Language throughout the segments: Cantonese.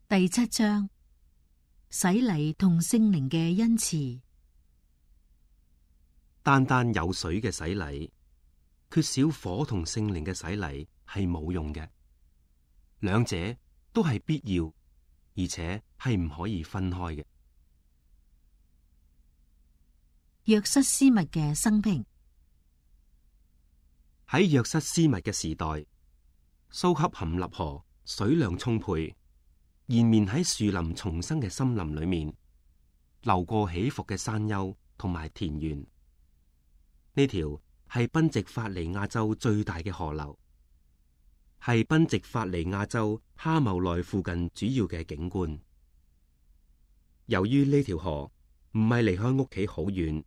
第7章，洗禮同聖靈嘅恩賜。單單有水嘅洗禮，缺少火同聖靈嘅洗禮係冇用嘅。兩者都係必要，而且係唔可以分開嘅。約瑟斯密嘅生平。喺約瑟斯密嘅時代，蘇恰含納河水量充沛，延綿喺樹林叢生嘅森林裏面，流過起伏嘅山丘同埋田園。呢條係賓夕法尼亞州最大嘅河流，係賓夕法尼亞州哈茂內附近主要嘅景觀。由於呢條河唔係離開屋企好遠，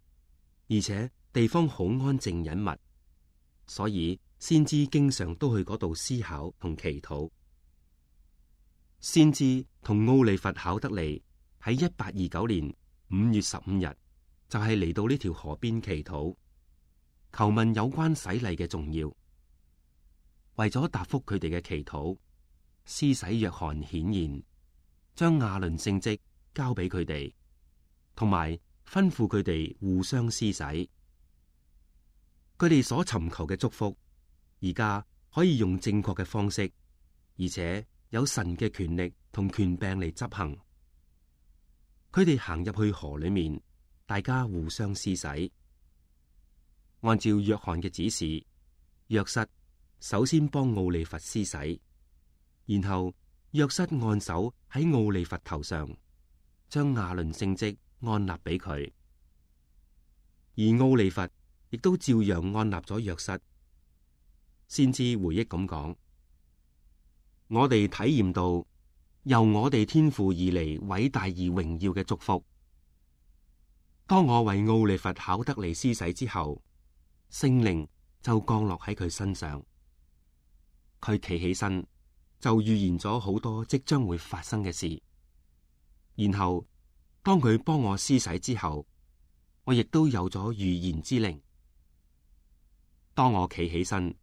而且地方好安靜隱密，所以先知經常都去嗰度思考同祈禱。先知同奧利弗考德利喺1829年5月15日就係嚟到呢條河邊祈禱，求問有關洗禮嘅重要。為咗答覆佢哋嘅祈禱，施洗約翰顯現，將亞倫聖職交俾佢哋，同埋吩咐佢哋互相施洗。佢哋所尋求嘅祝福，而家可以用正確嘅方式，而且有神嘅權力同權柄嚟執行。佢哋行入去河裏面，大家互相施洗。按照約翰嘅指示，約瑟首先幫奧利弗施洗，然後約瑟按手喺奧利弗頭上，將亞倫聖職按立俾佢，而奧利弗亦都照樣按立咗約瑟。先知回憶咁講：我哋體驗到由我哋天父而嚟偉大而榮耀嘅祝福。當我為奧利弗考德利施洗之後，聖靈就降落喺佢身上。佢企起身就預言咗好多即將會發生嘅事。然後當佢幫我施洗之後，我亦都有咗預言之靈。當我企起身，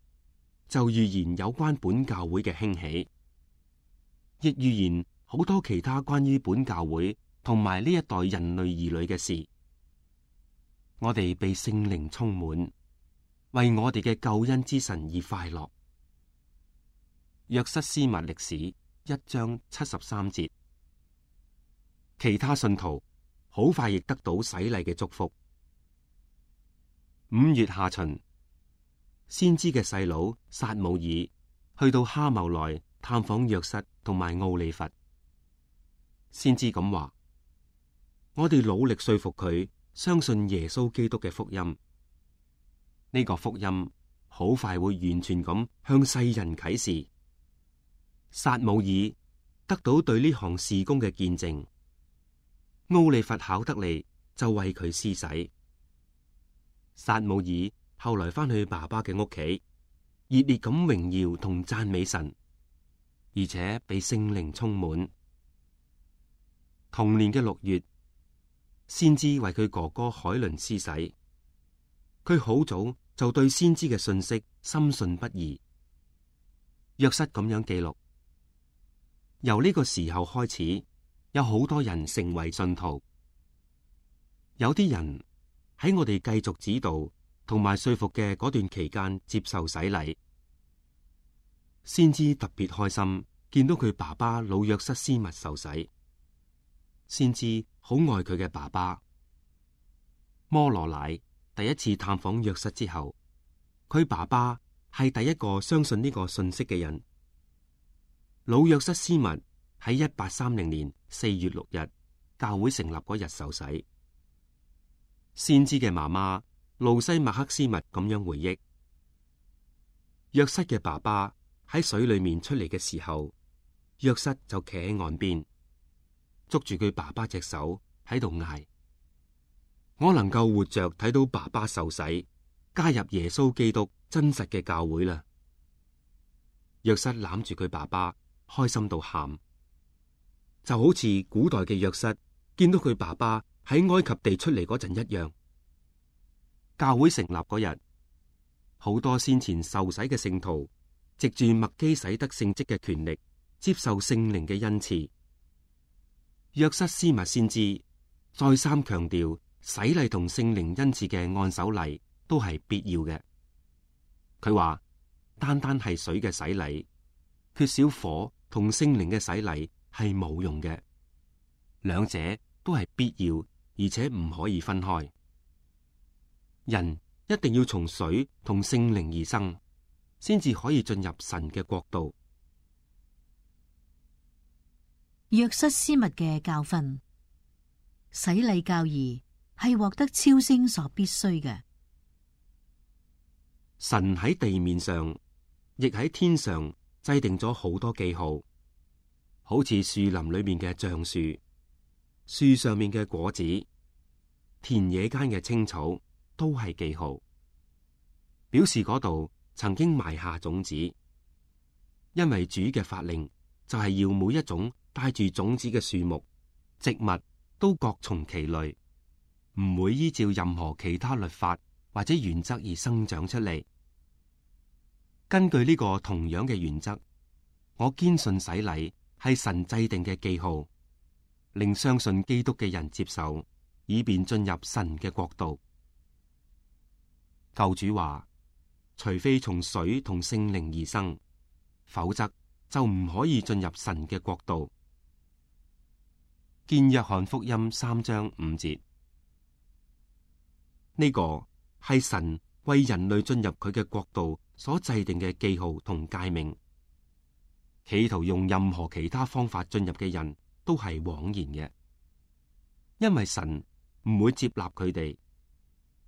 就預言有關本教會嘅興起，亦預言好多其他關於本教會同埋呢一代人類兒女嘅事。我哋被聖靈充滿，為我哋嘅救恩之神而快樂。約瑟斯密歷史1章73節。其他信徒好快亦得到洗禮嘅祝福。5月下旬，先知嘅細佬撒母耳去到哈茂內探訪約瑟同埋奧利弗。先知咁話：我哋努力說服佢相信耶穌基督嘅福音。呢個福音好快會完全咁向世人啟示。撒母耳得到對呢項事工嘅見證，奧利弗考德利就為佢施洗。撒母耳後來翻去爸爸嘅屋企，熱烈咁榮耀同讚美神，而且被聖靈充滿。同年嘅6月，先知為佢哥哥海倫施洗。佢好早就對先知嘅信息深信不疑。約瑟咁樣記錄：由呢個時候開始，有好多人成為信徒。有啲人喺我哋繼續指導同埋說服嘅嗰段期間接受洗禮。先知特別開心見到佢爸爸老約瑟斯密受洗。先知好愛佢嘅爸爸。摩羅乃第一次探訪約瑟之後，佢爸爸係第一個相信呢個信息嘅人。老約瑟斯密喺1830年4月6日教會成立嗰日受洗。先知嘅媽媽路西麥克斯密咁樣回憶：約瑟嘅爸爸喺水裏面出嚟嘅時候，約瑟就企喺岸邊，捉住佢爸爸隻手喺度嗌：我能夠活着睇到爸爸受洗，加入耶穌基督真實嘅教會啦！約瑟攬住佢爸爸，開心到喊，就好似古代嘅約瑟見到佢爸爸喺埃及地出嚟嗰陣一樣。教會成立嗰日，好多先前受洗嘅聖徒，藉住麥基洗德聖職嘅權力，接受聖靈嘅恩賜，約瑟斯密先知再三強調，洗禮同聖靈恩賜嘅按手禮都係必要嘅。佢話，單單係水嘅洗禮，缺少火同聖靈嘅洗禮係冇用嘅。兩者都係必要，而且唔可以分開。人一定要從水同聖靈而生，先至可以進入神嘅國度。約瑟斯密嘅教訓，洗禮教義係獲得超升所必須嘅。神喺地面上，亦喺天上制定咗好多記號，好似樹林裏面嘅橡樹、樹上面嘅果子、田野間嘅青草，都係記號，表示嗰度曾經埋下種子。因為主嘅法令就係要每一種帶住種子嘅樹木、植物都各從其類，唔會依照任何其他律法或者原則而生長出嚟。根據呢個同樣嘅原則，我堅信洗禮係神制定嘅記號，令相信基督嘅人接受，以便進入神嘅國度。救主話，除非從水同聖靈而生，否則就唔可以進入神嘅國度。見約翰福音3章5節，呢個係神為人類進入佢嘅國度所制定嘅記號同誡命。企圖用任何其他方法進入嘅人都係枉然嘅，因為神唔會接納佢哋，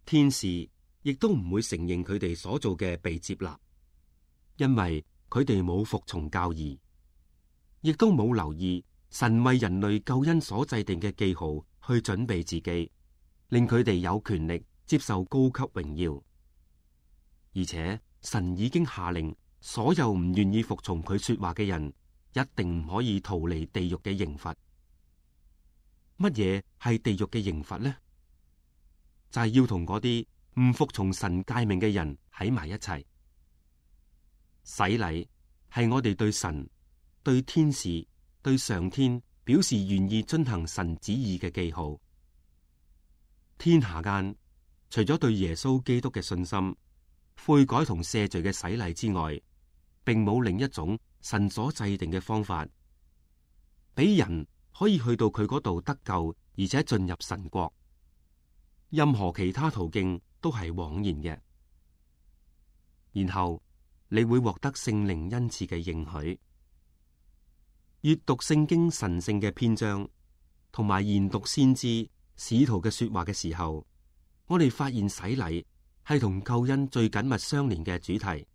天使亦都唔會承認佢哋所做嘅被接納，因為佢哋冇服從教義，亦都冇留意神為人類救恩所制定嘅記號去準備自己，令佢哋有權力接受高級榮耀。而且神已經下令，所有唔願意服從佢說話嘅人，一定唔可以逃離地獄嘅刑罰。乜嘢係地獄嘅刑罰呢？就係要同嗰啲唔服從神誡命嘅人喺埋一齊。洗禮係我哋對神、對天使、對上天表示願意遵行神旨意嘅記號。天下間除咗對耶穌基督嘅信心、悔改同赦罪嘅洗禮之外，並冇另一種神所制定嘅方法，俾人可以去到佢嗰度得救，而且進入神國。任何其他途徑都係枉然嘅。然後你會獲得聖靈恩賜嘅應許。閱讀聖經神聖嘅篇章，同埋研讀先知使徒嘅說話嘅時候，我哋發現洗禮係同救恩最緊密相連嘅主題。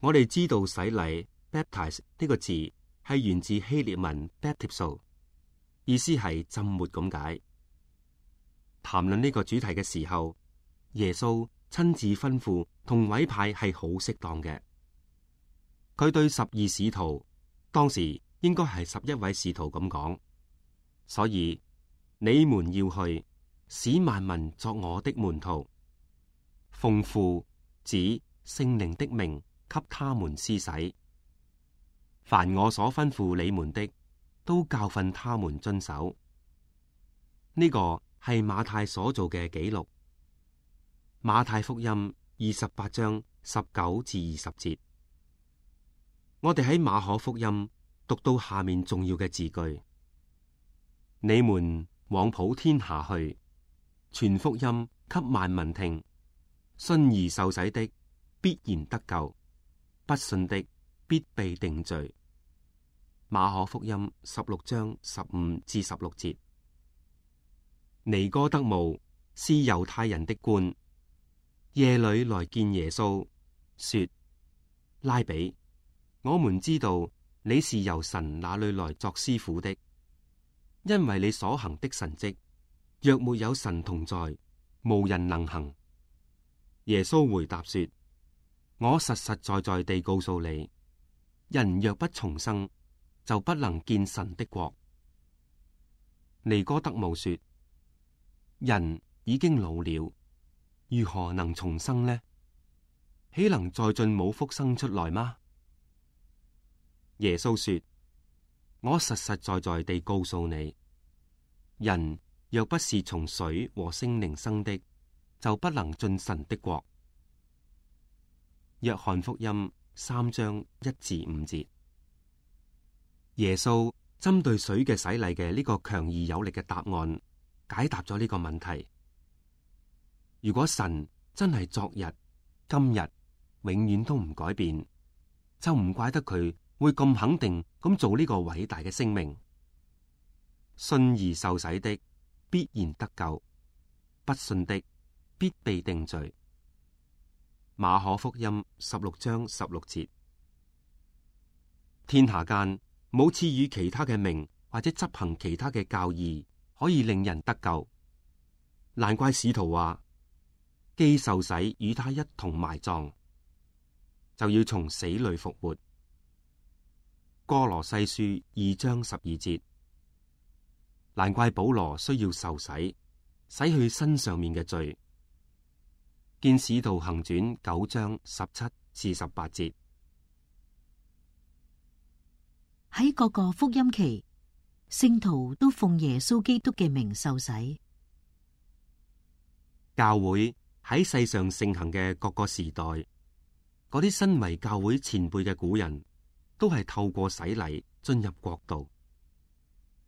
我哋知道洗禮 baptize 呢個字係源自希臘文 baptizo， 意思係浸沒咁解。談論呢個主題嘅時候，耶穌親自吩咐同委派係好適當嘅。佢對12使徒，當時應該係11位使徒咁講，所以你們要去，使萬民作我的門徒，奉父子聖靈的名給他們施洗，凡我所吩咐你們的，都教訓他們遵守。呢個係馬太所做嘅記錄。馬太福音28章19至20節。我哋喺馬可福音讀到下面重要嘅字句：你們往普天下去，傳福音給萬民聽，信而受洗的必然得救，不信的必被定罪。馬可福音16章15至16節。尼哥德慕是猶太人的官，夜裏來見耶穌，說：拉比，我們知道你是由神那裏來作師傅的，因為你所行的神蹟，若沒有神同在，無人能行。耶穌回答說：我實實在在地告訴你，人若不重生，就不能見神的國。尼哥德慕說：人已經老了，如何能重生呢？豈能再進母腹生出來嗎？耶穌說：我實實在在地告訴你，人若不是從水和聖靈生的，就不能進神的國。約翰福音3章1至5節。耶穌針對水嘅洗禮嘅呢個強而有力嘅答案，解答咗呢個問題。如果神真係昨日、今日、永遠都唔改變，就唔怪得佢會咁肯定咁做呢個偉大嘅聲明。信而受洗的必然得救，不信的必被定罪。馬可福音16章16節。天下間冇賜予其他嘅名或者執行其他嘅教義可以令人得救，難怪使徒話，既受洗與他一同埋葬，就要從死裏復活。哥羅西書2章12節。難怪保羅需要受洗，洗去身上面嘅罪。見使徒行傳9章17至18節。喺各個福音期，聖徒都奉耶穌基督嘅名受洗。教會喺世上盛行嘅各個時代，嗰啲身為教會前輩嘅古人，都係透過洗禮進入國度。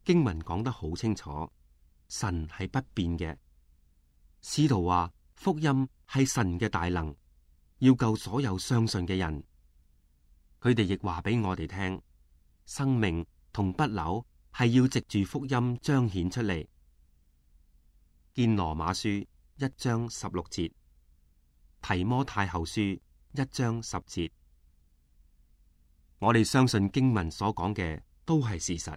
經文講得好清楚，神係不變嘅。使徒話福音係神嘅大能，要救所有相信嘅人。佢哋亦話俾我哋聽，生命同不朽係要藉住福音彰顯出嚟。見羅馬書1章16節，提摩太後書1章10節。我哋相信經文所講嘅都係事實，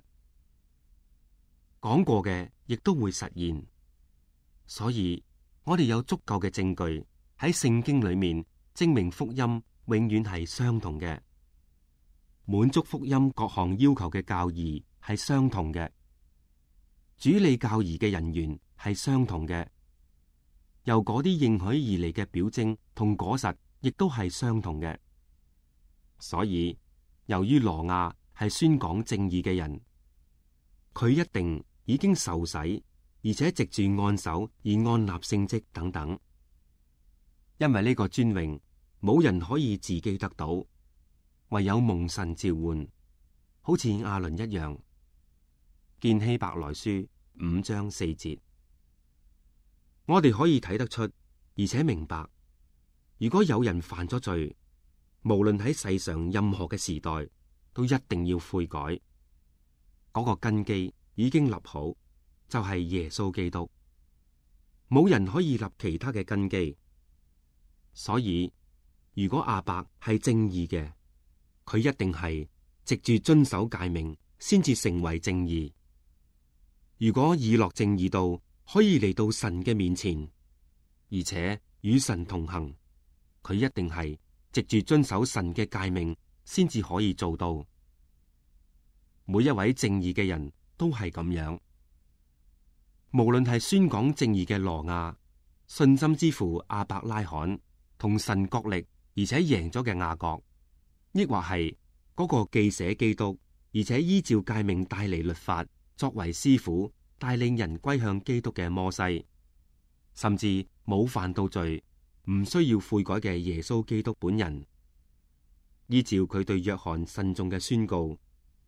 講過嘅亦都會實現，所以我哋有足夠嘅證據喺聖經裏面證明福音永遠係相同嘅，滿足福音各項要求嘅教義係相同嘅，主理教義嘅人員係相同嘅，由嗰啲應許而嚟嘅表徵同果實亦都係相同嘅。所以由於羅亞係宣講正義嘅人，佢一定已經受洗，而且藉住按手而按立聖職等等。因為呢個尊榮冇人可以自己得到，唯有蒙神召喚，好似亞倫一樣。見希伯來書5章4節。我哋可以睇得出，而且明白，如果有人犯咗罪，無論喺世上任何嘅時代，都一定要悔改。嗰個根基已經立好，就係耶穌基督，冇人可以立其他嘅根基。所以如果亞伯係正義嘅，佢一定係藉住遵守誡命先至成為正義。如果以諾正義道可以嚟到神嘅面前，而且與神同行，佢一定係藉住遵守神嘅誡命先至可以做到。每一位正義嘅人都係咁樣，無論係宣講正義嘅羅亞、信心之父亞伯拉罕同神角力而且贏咗嘅雅各，抑或係嗰個既寫基督而且依照誡命帶嚟律法作為師傅帶領人歸向基督嘅摩西，甚至冇犯到罪唔需要悔改嘅耶穌基督本人，依照佢對約翰慎重嘅宣告，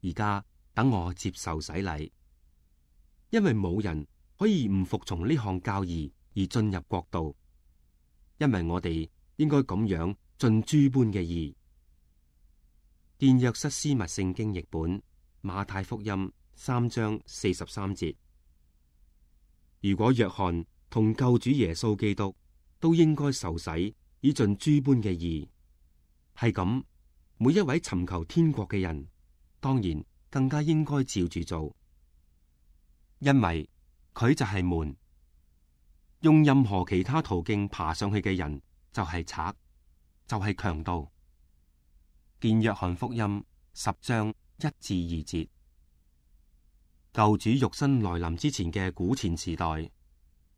而家等我接受洗禮，因為冇人可以唔服從呢項教義而進入國度，因為我哋應該咁樣盡諸般嘅義。見約瑟斯密聖經譯本馬太福音3章43節。如果約翰同救主耶穌基督都應該受洗以盡諸般嘅義，係咁，每一位尋求天國嘅人，當然更加應該照住做，因為佢就係門。用任何其他途徑爬上去嘅人就係賊，就係強盜。見約翰福音10章1至2節。救主肉身來臨之前嘅古前時代，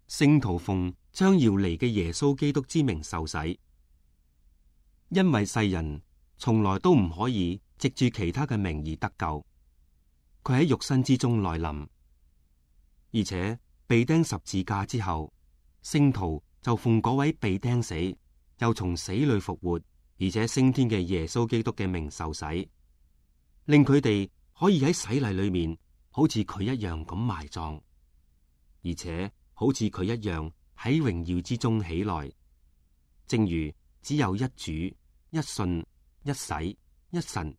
聖徒奉將要嚟嘅耶穌基督之名受洗，因為世人從來都唔可以藉住其他嘅名而得救。佢喺肉身之中來臨，而且被釘十字架之後，聖徒就奉嗰位被釘死又從死裏復活而且升天嘅耶穌基督嘅名受洗，令佢哋可以喺洗禮裏面好似佢一樣咁埋葬，而且好似佢一樣喺榮耀之中起來。正如只有一主、一信、一洗、一神，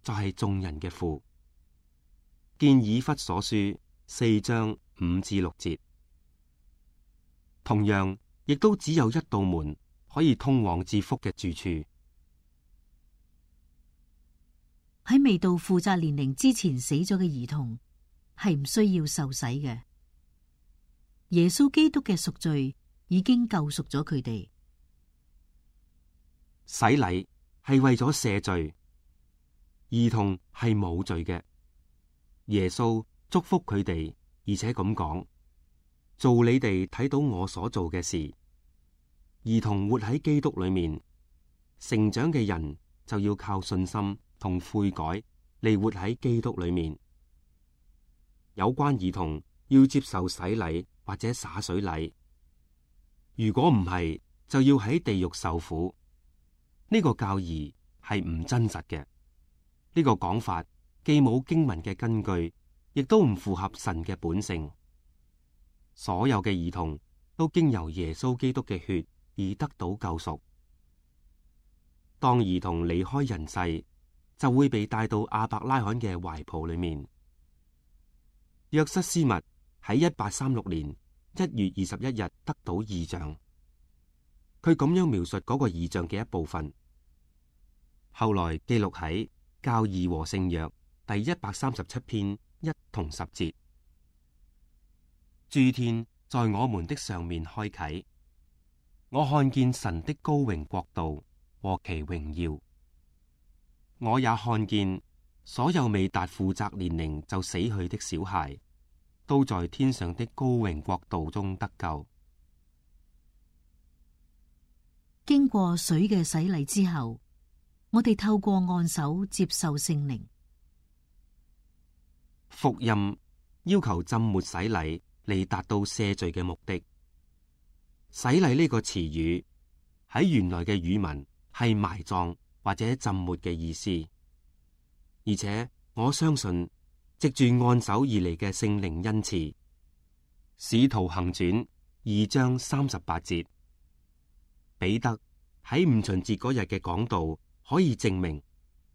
就係眾人嘅父。見以弗所書4章5至6節。同樣，亦都只有一道門可以通往至福嘅住處。喺未到負責年齡之前死咗嘅兒童係唔需要受洗嘅。耶穌基督嘅贖罪已經救贖咗佢哋。洗禮係為咗赦罪，兒童係冇罪嘅。耶穌祝福佢哋，而且咁講：做你哋睇到我所做嘅事。兒童活喺基督裏面，成長嘅人就要靠信心同悔改嚟活喺基督裏面。有關兒童要接受洗禮或者灑水禮，如果唔係，就要喺地獄受苦。呢個教義係唔真實嘅。呢個講法既冇經文嘅根據，亦都唔符合神嘅本性。所有嘅兒童都經由耶穌基督嘅血而得到救贖。當兒童離開人世，就會被帶到亞伯拉罕嘅懷抱裏面。約瑟斯密喺1836年1月21日得到異象，佢咁樣描述嗰個異象嘅一部分，後來記錄喺教義和聖約第137篇1同10節。諸天在我們的上面開啟，我看見神的高榮國度和其榮耀。我也看見所有未達負責年齡就死去的小孩，都在天上的高榮國度中得救。經過水嘅洗禮之後，我哋透過按手接受聖靈。福音要求浸沒洗禮嚟達到赦罪嘅目的。洗禮呢個詞語喺原來嘅語文係埋葬或者浸沒嘅意思，而且我相信藉住按手而嚟嘅聖靈恩賜。使徒行傳2章38節，彼得喺五旬節嗰日嘅講道可以證明，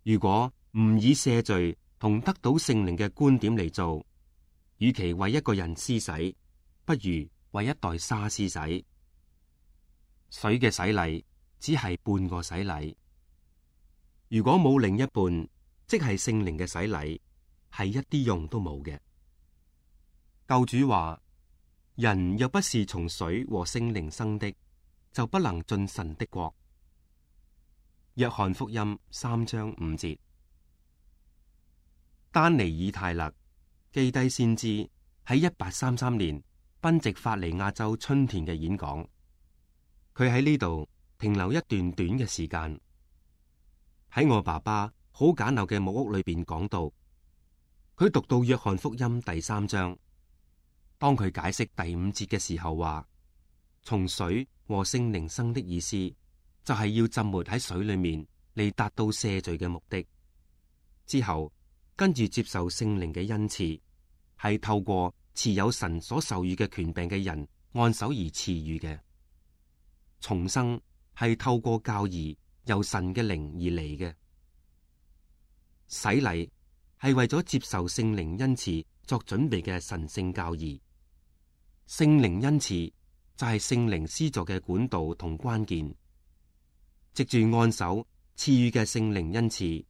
如果唔以赦罪同得到聖靈嘅觀點嚟做，與其為一個人施洗，不如為一袋沙施洗。水嘅洗禮只係半個洗禮，如果冇另一半，即係聖靈嘅洗禮，係一啲用都冇嘅。救主話：人若不是從水和聖靈生的，就不能進神的國。約翰福音3章5節。丹尼爾泰勒基低先知喺1833年賓夕法尼亞州春田嘅演講，佢喺呢度停留一段短嘅時間，喺我爸爸好簡陋嘅木屋裏邊講到，佢讀到約翰福音第3章，當佢解釋第5節嘅時候話，從水和聖靈生的意思就係要浸沒喺水裏面嚟達到赦罪嘅目的。之後跟住接受聖靈嘅恩賜，係透過持有神所授予嘅權柄嘅人按手而賜予嘅。重生係透過教義由神嘅靈而嚟嘅。洗禮係為咗接受聖靈恩賜作準備嘅神聖教義。聖靈恩賜就係聖靈施助嘅管道同關鍵。藉住按手賜予嘅聖靈恩賜，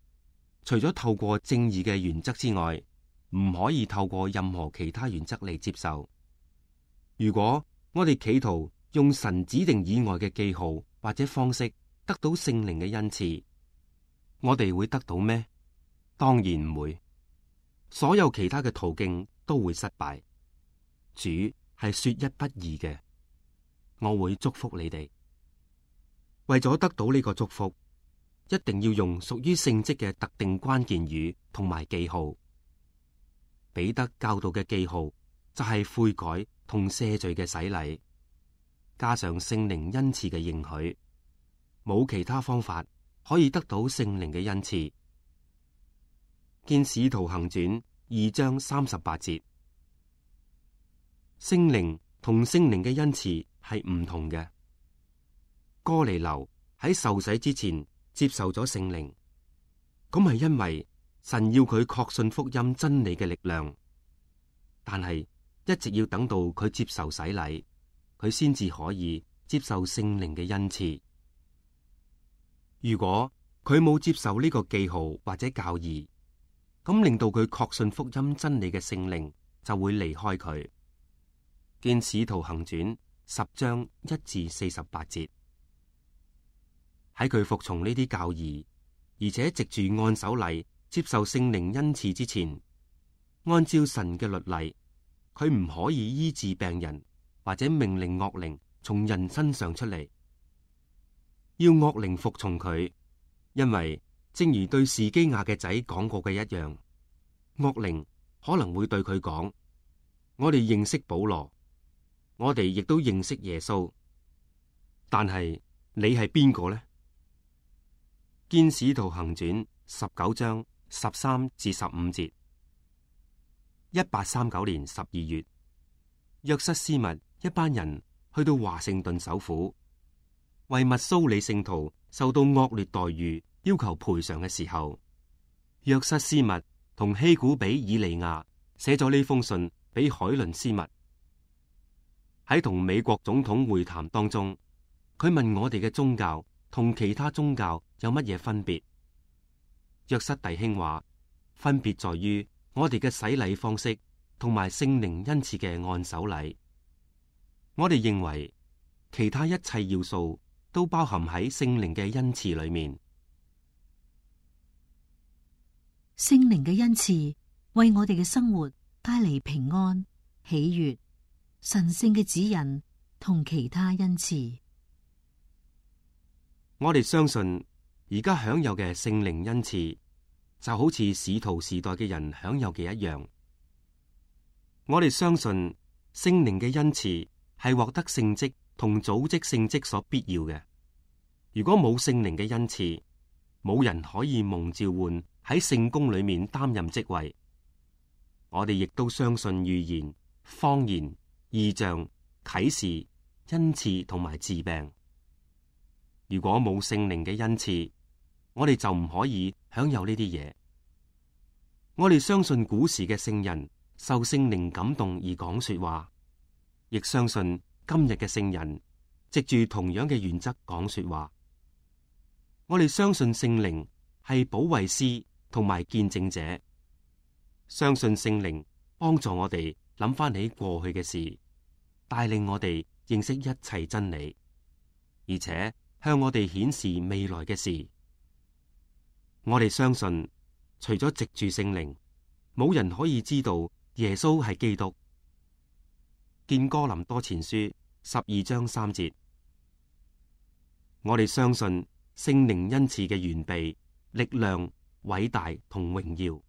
除咗透過正義嘅原則之外，唔可以透過任何其他原則嚟接受。如果我哋企圖用神指定以外嘅記號或者方式得到聖靈嘅恩賜，我哋會得到咩？當然唔會。所有其他嘅途徑都會失敗。主係說一不二嘅，我會祝福你哋。為咗得到呢個祝福，一定要用屬於聖職嘅特定關鍵語同埋記號。彼得教導嘅記號就係悔改同赦罪嘅洗禮，加上聖靈恩賜嘅應許，冇其他方法可以得到聖靈嘅恩賜。見使徒行傳2章38節，聖靈同聖靈嘅恩賜係唔同嘅。哥尼流喺受洗之前接受咗聖靈，咁係因為神要佢確信福音真理嘅力量，但係一直要等到佢接受洗禮，佢先至可以接受聖靈嘅恩賜。如果佢冇接受呢個記號或者教義，咁令到佢確信福音真理嘅聖靈就會離開佢。見使徒行傳10章1至48節。喺佢服從呢啲教義，而且藉住按手禮接受聖靈恩賜之前，按照神嘅律例，佢唔可以醫治病人或者命令惡靈從人身上出嚟，要惡靈服從佢，因為正如對士基亞嘅仔講過嘅一樣，惡靈可能會對佢講：我哋認識保羅，我哋亦都認識耶穌，但係你係邊個呢？見使徒行傳19章13至15節。1839年12月，約瑟斯密一班人去到華盛頓首府，為密蘇里聖徒受到惡劣待遇要求賠償嘅時候，約瑟斯密同希古比以利亞寫咗呢封信俾海倫斯密。喺同美國總統會談當中，佢問我哋嘅宗教同其他宗教有乜嘢分別？約瑟弟兄話，分別在於我哋嘅洗禮方式同埋聖靈恩賜嘅按手禮。我哋認為其他一切要素都包含喺聖靈嘅恩賜裏面。聖靈嘅恩賜為我哋嘅生活帶嚟平安、喜悅、神聖嘅指引同其他恩賜。我哋相信而家享有嘅聖靈恩賜就好似使徒時代嘅人享有嘅一樣。我哋相信聖靈嘅恩賜係獲得聖職同組織聖職所必要嘅。如果冇聖靈嘅恩賜，冇人可以蒙召喚喺聖工裏面擔任職位。我哋亦都相信預言、方言、異象、啟示、恩賜同埋治病。如果冇聖靈嘅恩賜，我哋就唔可以享有呢啲嘢。我哋相信古時嘅聖人受聖靈感動而講說話，亦相信今日嘅聖人藉住同樣嘅原則講說話。我哋相信聖靈係保惠師同埋見證者，相信聖靈幫助我哋諗翻起過去嘅事，帶領我哋認識一切真理，而且向我哋顯示未來嘅事。我哋相信，除咗藉住聖靈，冇人可以知道耶穌係基督。見哥林多前書12章3節。我哋相信聖靈恩賜嘅完備、力量、偉大同榮耀。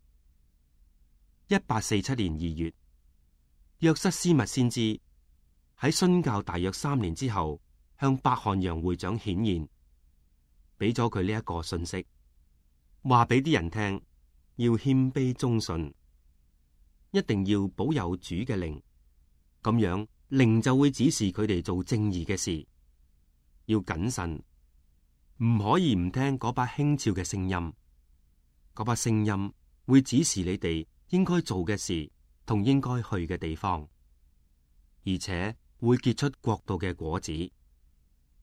1847年2月，約瑟斯密先知喺殉教大約3年之後，向伯漢陽會長顯現，俾咗佢呢一個信息，話俾啲人聽，要謙卑忠信，一定要保有主嘅靈，咁樣靈就會指示佢哋做正義嘅事。要謹慎，唔可以唔聽嗰把輕佻嘅聲音，嗰把聲音會指示你哋應該做嘅事同應該去嘅地方，而且會結出國度嘅果子。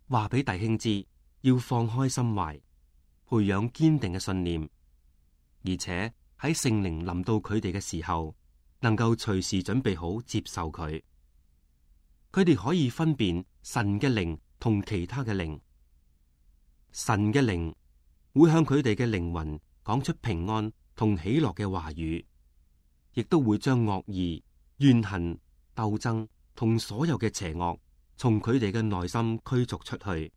話俾弟兄知，要放開心懷，培養堅定嘅信念，而且喺聖靈臨到佢哋嘅時候，能夠隨時準備好接受佢。佢哋可以分辨神嘅靈同其他嘅靈。神嘅靈會向佢哋嘅靈魂講出平安同喜樂嘅話語，亦都會將惡意、怨恨、鬥爭同所有嘅邪惡從佢哋嘅內心驅逐出去，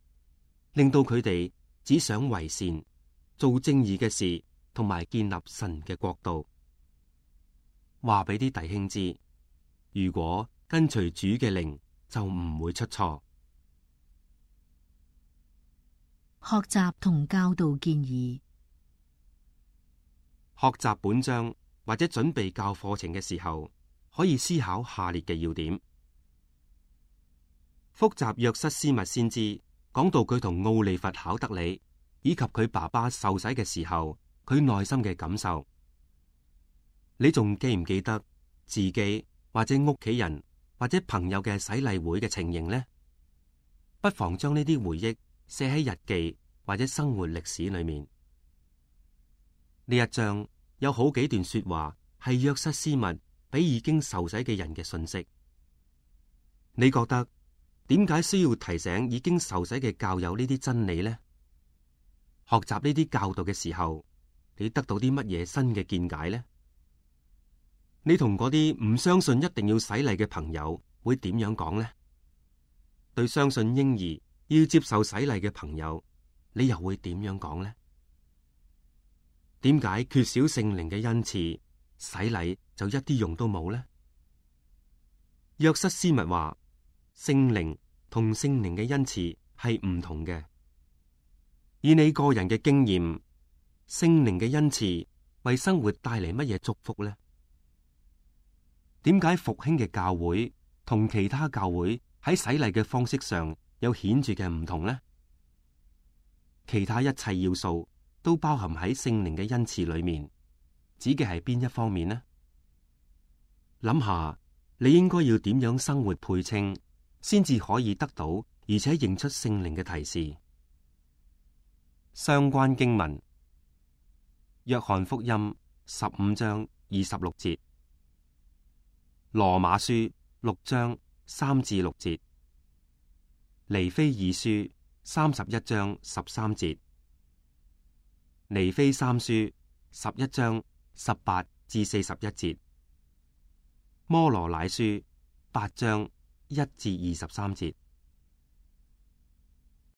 令到佢哋只想為善、做正義嘅事，同埋建立神嘅國度。話俾啲弟兄知，如果跟隨主嘅靈，就唔會出錯。學習同教導建議。學習本章或者準備教課程嘅時候，可以思考下列嘅要點。複習約瑟斯密先知講到佢同奧利弗考德里以及佢爸爸受洗嘅時候，佢內心嘅感受。你仲記唔記得自己或者屋企人或者朋友嘅洗禮會嘅情形呢？不妨將呢啲回憶寫喺日記或者生活歷史裏面。呢一章有好幾段說話係約瑟斯密俾已經受洗嘅人嘅信息。你覺得點解需要提醒已經受洗嘅教友呢啲真理呢？學習呢啲教導嘅時候，你得到啲乜嘢新嘅見解呢？你同嗰啲唔相信一定要洗禮嘅朋友會點樣講呢？對相信嬰兒要接受洗禮嘅朋友，你又會點樣講呢？點解缺少聖靈嘅恩賜，洗禮就一啲用都冇呢？約瑟斯密話，聖靈同聖靈嘅恩賜係唔同嘅。以你個人嘅經驗，聖靈嘅恩賜為生活帶嚟乜嘢祝福呢？點解復興嘅教會同其他教會喺洗禮嘅方式上有顯著嘅唔同呢？其他一切要素都包含喺聖靈嘅恩賜裏面，指嘅係邊一方面呢？諗下你應該要點樣生活配稱，先至可以得到而且認出聖靈嘅提示。相關經文：約翰福音15章26節，羅馬書6章3至6節，尼非二書31章13節，尼非三書11章18至41節，摩羅乃書8章1至23節。